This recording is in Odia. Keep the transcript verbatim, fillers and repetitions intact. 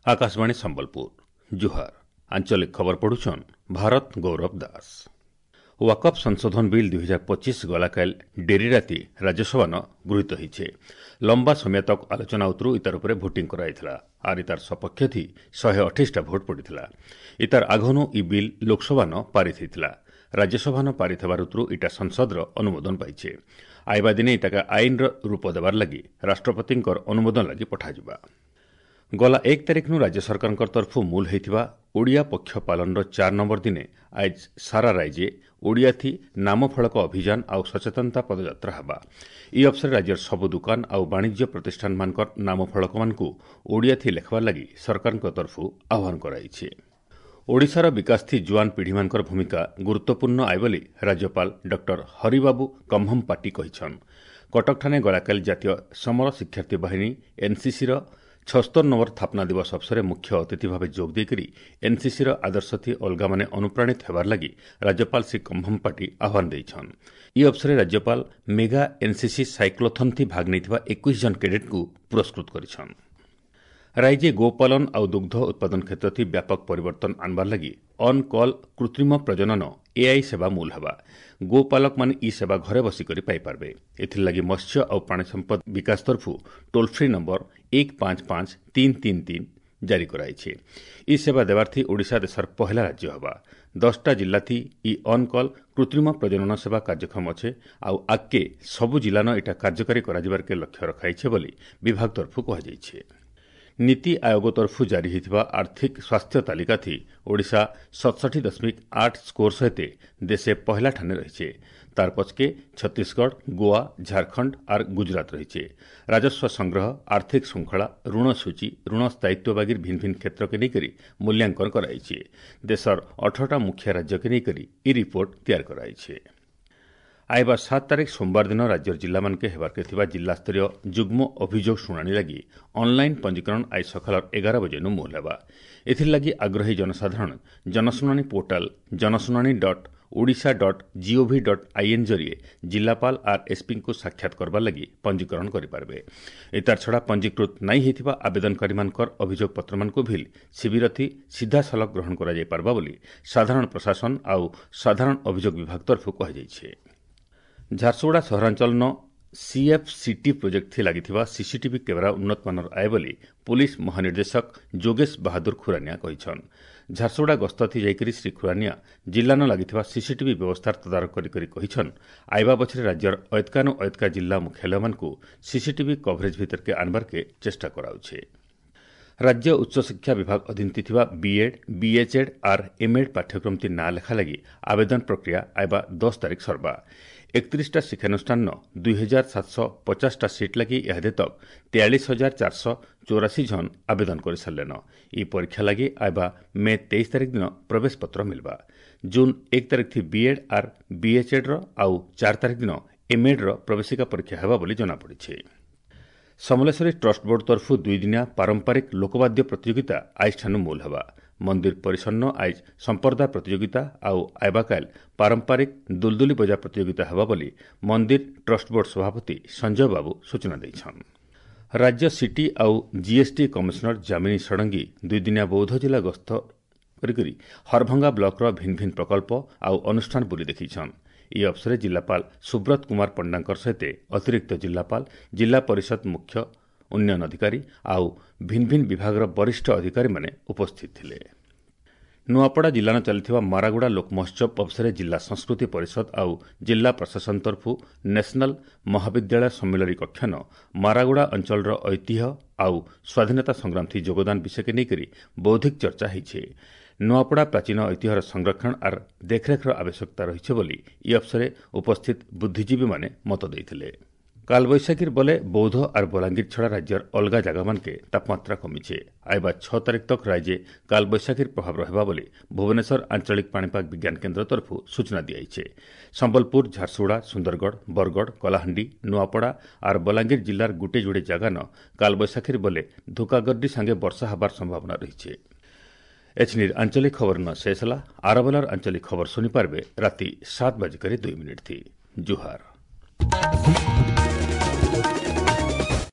ଆକାଶବାଣୀ ସମ୍ବଲପୁର ଜୁହାର ଆଞ୍ଚଳିକ ଖବର ପଢୁଛନ୍ ଭାରତ ଗୌରବ ଦାସ ୱାକଫ୍ ସଂଶୋଧନ ବିଲ୍ ଦୁଇ ହଜାର ପଚିଶ ଗଲାକାଲି ଡେରି ରାତି ରାଜ୍ୟସଭାନ ଗୃହୀତ ହୋଇଛେ ଲମ୍ବା ସମୟ ତକ ଆଲୋଚନା ଉତରୁ ଇତାର ଉପରେ ଭୋଟିଂ କରାଯାଇଥିଲା ଆର୍ ଇତାର ସପକ୍ଷ ଥି ଶହେ ଅଠେଇଶଟା ଭୋଟ ପଡ଼ିଥିଲା ଇତାର ଆଘନୁ ଇ ବିଲ୍ ଲୋକସଭାନ ପାରିତ ହୋଇଥିଲା ରାଜ୍ୟସଭାନ ପାରିତ ହେବାର ଉତରୁ ଇଟା ସଂସଦର ଅନୁମୋଦନ ପାଇଛେ ଆଇବା ଦିନେ ଇଟାକା ଆଇନର ରୂପ ଦେବାର ଲାଗି ରାଷ୍ଟ୍ରପତିଙ୍କର ଅନୁମୋଦନ ଲାଗି ପଠାଯିବା ଗଲା ଏକ ତାରିଖନୁ ରାଜ୍ୟ ସରକାରଙ୍କ ତରଫରୁ ମୂଲ ହୋଇଥିବା ଓଡ଼ିଆ ପକ୍ଷ ପାଳନର ଚାର ନମ୍ବର ଦିନେ ଆଜ ସାରା ରାଜ୍ୟେ ଓଡ଼ିଆଥି ନାମଫଳକ ଅଭିଯାନ ଆଉ ସଚେତନତା ପଦଯାତ୍ରା ହେବା ଇ ଅବସରରେ ରାଜ୍ୟର ସବୁ ଦୋକାନ ଆଉ ବାଣିଜ୍ୟ ପ୍ରତିଷ୍ଠାନମାନଙ୍କର ନାମଫଳକମାନଙ୍କୁ ଓଡ଼ିଆଥି ଲେଖବାର ଲାଗି ସରକାରଙ୍କ ତରଫରୁ ଆହ୍ୱାନ କରାଯାଇଛି ଓଡ଼ିଶାର ବିକାଶଥି ଜୁଆନ ପିଢ଼ିମାନଙ୍କର ଭୂମିକା ଗୁରୁତ୍ୱପୂର୍ଣ୍ଣ ଆଏ ବୋଲି ରାଜ୍ୟପାଳ ଡକ୍ଟର ହରିବାବୁ କମ୍ଭମପାଟି କହିଛନ୍ କଟକଠାନେ ଗଲାକାଲି ଜାତୀୟ ସମର ଶିକ୍ଷାର୍ଥୀ ବାହିନୀ ଏନ୍ସିସିର ଛସ୍ତର ନମ୍ବର ସ୍ଥାପନା ଦିବସ ଅବସରରେ ମୁଖ୍ୟ ଅତିଥି ଭାବେ ଯୋଗ ଦେଇକରି ଏନ୍ସିସିର ଆଦର୍ଶଥି ଅଲଗାମାନେ ଅନୁପ୍ରାଣିତ ହେବାର ଲାଗି ରାଜ୍ୟପାଳ ଶ୍ରୀ କମ୍ଭମପାଟି ଆହ୍ୱାନ ଦେଇଛନ୍ ଇ ଅବସରରେ ରାଜ୍ୟପାଳ ମେଗା ଏନ୍ସିସି ସାଇକ୍ଲୋଥନ୍ଥି ଭାଗ ନେଇଥିବା ଏକୋଇଶ ଜଣ କେଡେଟ୍ଙ୍କୁ ପୁରସ୍କୃତ କରିଛନ୍ ରାଜ୍ୟେ ଗୋପାଳନ ଆଉ ଦୁଗ୍ଧ ଉତ୍ପାଦନ କ୍ଷେତ୍ରଥି ବ୍ୟାପକ ପରିବର୍ତ୍ତନ ଆନବାର ଲାଗି ଅନ୍ କଲ୍ କୃତ୍ରିମ ପ୍ରଜନନ ଏଆଇ ସେବା ମୂଲ ହେବା ଗୋପାଲକମାନେ ଇ ସେବା ଘରେ ବସିକରି ପାଇପାରିବେ ଏଥିର୍ଲାଗି ମତ୍ସ୍ୟ ଆଉ ପ୍ରାଣୀ ସମ୍ପଦ ବିକାଶ ତରଫରୁ ଟୋଲ୍ ଫ୍ରି ନମ୍ବର ଏକ ପାଞ୍ଚ ପାଞ୍ଚ ତିନି ତିନି ତିନି ଜାରି କରାଯାଇଛି ଇ ସେବା ଦେବାର୍ଥି ଓଡ଼ିଶା ଦେଶର ପହେଲା ରାଜ୍ୟ ହେବା ଦଶଟା ଜିଲ୍ଲାଥି ଇ ଅନ୍ କଲ୍ କୃତ୍ରିମ ପ୍ରଜନନ ସେବା କାର୍ଯ୍ୟକ୍ଷମ ଅଛେ ଆଉ ଆଗ୍କେ ସବୁ ଜିଲ୍ଲାନ ଏଟା କାର୍ଯ୍ୟକାରୀ କରାଯିବାର୍କେ ଲକ୍ଷ୍ୟ ରଖାଇଛେ ବୋଲି ବିଭାଗ ତରଫରୁ କୁହାଯାଇଛି ନୀତି ଆୟୋଗ ତରଫରୁ ଜାରି ହୋଇଥିବା ଆର୍ଥିକ ସ୍ୱାସ୍ଥ୍ୟ ତାଲିକାଥି ଓଡ଼ିଶା ସତଷଠି ଦଶମିକ ଆଠ ସ୍କୋର ସହିତ ଦେଶେ ପହଲା ଠାନେ ରହିছে ତାର ପଛକେ ଛତିଶଗଡ଼ ଗୋଆ ଝାଡ଼ଖଣ୍ଡ ଆର୍ ଗୁଜରାଟ ରହିছে ରାଜସ୍ୱ ସଂଗ୍ରହ ଆର୍ଥିକ ଶୃଙ୍ଖଳା ଋଣ ସୂଚୀ ଋଣ ସ୍ଥାୟିତ୍ୱ ବାଗିର ଭିନ୍ନ ଭିନ୍ନ କ୍ଷେତ୍ରକେ ନେଇକରି ମୂଲ୍ୟାଙ୍କନ କରାଯାଇଛି ଦେଶର ଅଠରଟା ମୁଖ୍ୟ ରାଜ୍ୟକେ ନେଇକରି ଇ ରିପୋର୍ଟ ତିଆରି କରାଯାଇଛି ଆଇବା ସାତ ତାରିଖ ସୋମବାର ଦିନ ରାଜ୍ୟର ଜିଲ୍ଲାମାନକେ ହେବାର୍କେ ଥିବା ଜିଲ୍ଲାସ୍ତରୀୟ ଯୁଗ୍ମ ଅଭିଯୋଗ ଶୁଣାଣି ଲାଗି ଅନ୍ଲାଇନ୍ ପଞ୍ଜୀକରଣ ଆଜି ସକାଳ ଏଗାର ବଜେନୁ ମୂଲ ହେବା ଏଥିର୍ଲାଗି ଆଗ୍ରହୀ ଜନସାଧାରଣ ଜନଶୁଣାଣି ପୋର୍ଟାଲ ଜନଶୁଣାଣି dot Odisha dot GOV dot IN ଜରିଏ ଜିଲ୍ଲାପାଳ ଆର୍ ଏସ୍ପିଙ୍କୁ ସାକ୍ଷାତ କରବାର ଲାଗି ପଞ୍ଜୀକରଣ କରିପାରିବେ ଏତାର ଛଡ଼ା ପଞ୍ଜୀକୃତ ନାଇଁ ହୋଇଥିବା ଆବେଦନକାରୀମାନଙ୍କର ଅଭିଯୋଗ ପତ୍ରମାନଙ୍କୁ ଭିଲ୍ ଶିବିରଥି ସିଧାସଳଖ ଗ୍ରହଣ କରାଯାଇପାରିବା ବୋଲି ସାଧାରଣ ପ୍ରଶାସନ ଆଉ ସାଧାରଣ ଅଭିଯୋଗ ବିଭାଗ ତରଫରୁ କୁହାଯାଇଛି ଝାରସୁଗୁଡ଼ା ସହରାଞ୍ଚଳନ ସିଏଫ୍ସିଟି ପ୍ରୋଜେକ୍ଟ ଲାଗିଥିବା ସିସିଟିଭି କ୍ୟାମେରା ଉନ୍ନତମାନର ଆଏ ବୋଲି ପୁଲିସ୍ ମହାନିର୍ଦ୍ଦେଶକ ଯୋଗେଶ ବାହାଦୁର ଖୁରାନିଆ କହିଛନ୍ ଝାରସୁଗୁଡ଼ା ଗସ୍ତଥି ଯାଇକରି ଶ୍ରୀ ଖୁରାନିଆ ଜିଲ୍ଲାନ ଲାଗିଥିବା ସିସିଟିଭି ବ୍ୟବସ୍ଥାର ତଦାରଖ କରି କରି କହିଛନ୍ ଆଇବା ବଛରେ ରାଜ୍ୟର ଅୟତ୍କାନୁ ଅୟତ୍କା ଜିଲ୍ଲା ମୁଖ୍ୟାଳୟମାନଙ୍କୁ ସିସିଟିଭି କଭରେଜ ଭିତରକେ ଆନବାର୍କେ ଚେଷ୍ଟା କରାଉଛେ ରାଜ୍ୟ ଉଚ୍ଚଶିକ୍ଷା ବିଭାଗ ଅଧୀନରେ ଥିବା ବିଏଡ୍ ବିଏଚ୍ଏଡ୍ ଆର୍ ଏମ୍ଏଡ୍ ପାଠ୍ୟକ୍ରମଟି ନାଁ ଲେଖା ଲାଗି ଆବେଦନ ପ୍ରକ୍ରିୟା ଆଇବା ଦଶ ତାରିଖ ସର୍ବା ଏକତିରିଶଟା ଶିକ୍ଷାନୁଷ୍ଠାନର ଦୁଇ ହଜାର ସାତଶହ ପଚାଶଟା ସିଟ୍ ଲାଗି ଇହାଦେ ତକ୍ ତେୟାଳିଶ ହଜାର ଚାରିଶହ ଚଉରାଶୀ ଜଣ ଆବେଦନ କରିସାରିଲେନ ଇ ପରୀକ୍ଷା ଲାଗି ଆଇବା ମେ ତେଇଶ ତାରିଖ ଦିନ ପ୍ରବେଶ ପତ୍ର ମିଲବା ଜୁନ୍ ଏକ ତାରିଖ ଥି ବିଏଡ୍ ଆର୍ ବିଏଚ୍ଏଡ୍ର ଆଉ ଚାରି ତାରିଖ ଦିନ ଏମ୍ଏଡ୍ର ପ୍ରବେଶିକା ପରୀକ୍ଷା ହେବ ବୋଲି ଜଣାପଡ଼ିଛି ସମଲେଶ୍ୱରୀ ଟ୍ରଷ୍ଟ ବୋର୍ଡ ତରଫରୁ ଦୁଇଦିନିଆ ପାରମ୍ପରିକ ଲୋକବାଦ୍ୟ ପ୍ରତିଯୋଗିତା ଆଇଜଠାନୁ ମୂଲ ହେବା ମନ୍ଦିର ପରିସନ୍ନ ଆଇଜ ସମ୍ପ୍ରଦାୟ ପ୍ରତିଯୋଗିତା ଆଉ ଆଇବାକାଇଲ ପାରମ୍ପରିକ ଦୁଲଦୁଲି ବଜା ପ୍ରତିଯୋଗିତା ହେବ ବୋଲି ମନ୍ଦିର ଟ୍ରଷ୍ଟ ବୋର୍ଡ ସଭାପତି ସଞ୍ଜୟ ବାବୁ ସୂଚନା ଦେଇଛନ୍ ରାଜ୍ୟ ସିଟି ଆଉ ଜିଏସ୍ଟି କମିଶନର ଯାମିନୀ ଷଡ଼ଙ୍ଗୀ ଦୁଇଦିନିଆ ବୌଦ୍ଧ ଜିଲ୍ଲା ଗସ୍ତ କରିକରି ହରଭଙ୍ଗା ବ୍ଲକର ଭିନ୍ନ ଭିନ୍ନ ପ୍ରକଳ୍ପ ଆଉ ଅନୁଷ୍ଠାନ ବୁଲି ଦେଖିଛନ୍ ଏହି ଅବସରରେ ଜିଲ୍ଲାପାଳ ସୁବ୍ରତ କୁମାର ପଣ୍ଡାଙ୍କର ସହିତ ଅତିରିକ୍ତ ଜିଲ୍ଲାପାଳ ଜିଲ୍ଲା ପରିଷଦ ମୁଖ୍ୟ ଉନ୍ନୟନ ଅଧିକାରୀ ଆଉ ଭିନ୍ନ ଭିନ୍ନ ବିଭାଗର ବରିଷ୍ଠ ଅଧିକାରୀମାନେ ଉପସ୍ଥିତ ଥିଲେ ନୂଆପଡ଼ା ଜିଲ୍ଲାନ ଚାଲିଥିବା ମାରାଗୁଡ଼ା ଲୋକ ମହୋତ୍ସବ ଅବସରରେ ଜିଲ୍ଲା ସଂସ୍କୃତି ପରିଷଦ ଆଉ ଜିଲ୍ଲା ପ୍ରଶାସନ ତରଫରୁ ନ୍ୟାସନାଲ ମହାବିଦ୍ୟାଳୟ ସମ୍ମିଳନୀ କକ୍ଷନ ମାରାଗୁଡ଼ା ଅଞ୍ଚଳର ଐତିହ୍ୟ ଆଉ ସ୍ୱାଧୀନତା ସଂଗ୍ରାମଥି ଯୋଗଦାନ ବିଷୟକେ ନେଇକରି ବୌଦ୍ଧିକ ଚର୍ଚ୍ଚା ହୋଇଛି ନୂଆପଡ଼ା ପ୍ରାଚୀନ ଐତିହ୍ୟର ସଂରକ୍ଷଣ ଆର୍ ଦେଖରେଖର ଆବଶ୍ୟକତା ରହିଛି ବୋଲି ଇ ଅବସରରେ ଉପସ୍ଥିତ ବୁଦ୍ଧିଜୀବୀମାନେ ମତ ଦେଇଥିଲେ କାଲବୈଶାଖୀର ବଲେ ବୌଦ୍ଧ ଆର୍ ବଲାଙ୍ଗୀର ଛଡ଼ା ରାଜ୍ୟର ଅଲଗା ଜାଗାମାନକେ ତାପମାତ୍ରା କମିଛେ ଆଇବା ଛଅ ତାରିଖ ତକ୍ ରାଜ୍ୟେ କାଲବୈଶାଖୀର ପ୍ରଭାବ ରହିବା ବୋଲି ଭୁବନେଶ୍ୱର ଆଞ୍ଚଳିକ ପାଣିପାଗ ବିଜ୍ଞାନ କେନ୍ଦ୍ର ତରଫରୁ ସୂଚନା ଦିଆଯାଇଛି ସମ୍ବଲପୁର ଝାରସୁଗୁଡ଼ା ସୁନ୍ଦରଗଡ଼ ବରଗଡ଼ କଳାହାଣ୍ଡି ନୂଆପଡ଼ା ଆର୍ ବଲାଙ୍ଗୀର ଜିଲ୍ଲାର ଗୁଟେ ଯୋଡ଼େ ଜାଗାନ କାଲବୈଶାଖୀର ବଲେ ଧୁକାଗର୍ଡି ସାଙ୍ଗେ ବର୍ଷା ହେବାର ସମ୍ଭାବନା ରହିଛି ଏଛନିର ଆଞ୍ଚଳିକ ଖବର ନ ଶେଷ ହେଲା ଆରବେଲାର ଆଞ୍ଚଳିକ ଖବର ଶୁଣିପାରିବେ ରାତି ସାତ ବାଜିକରି ଦୁଇ ମିନିଟ୍ ଥି ଜୁହାର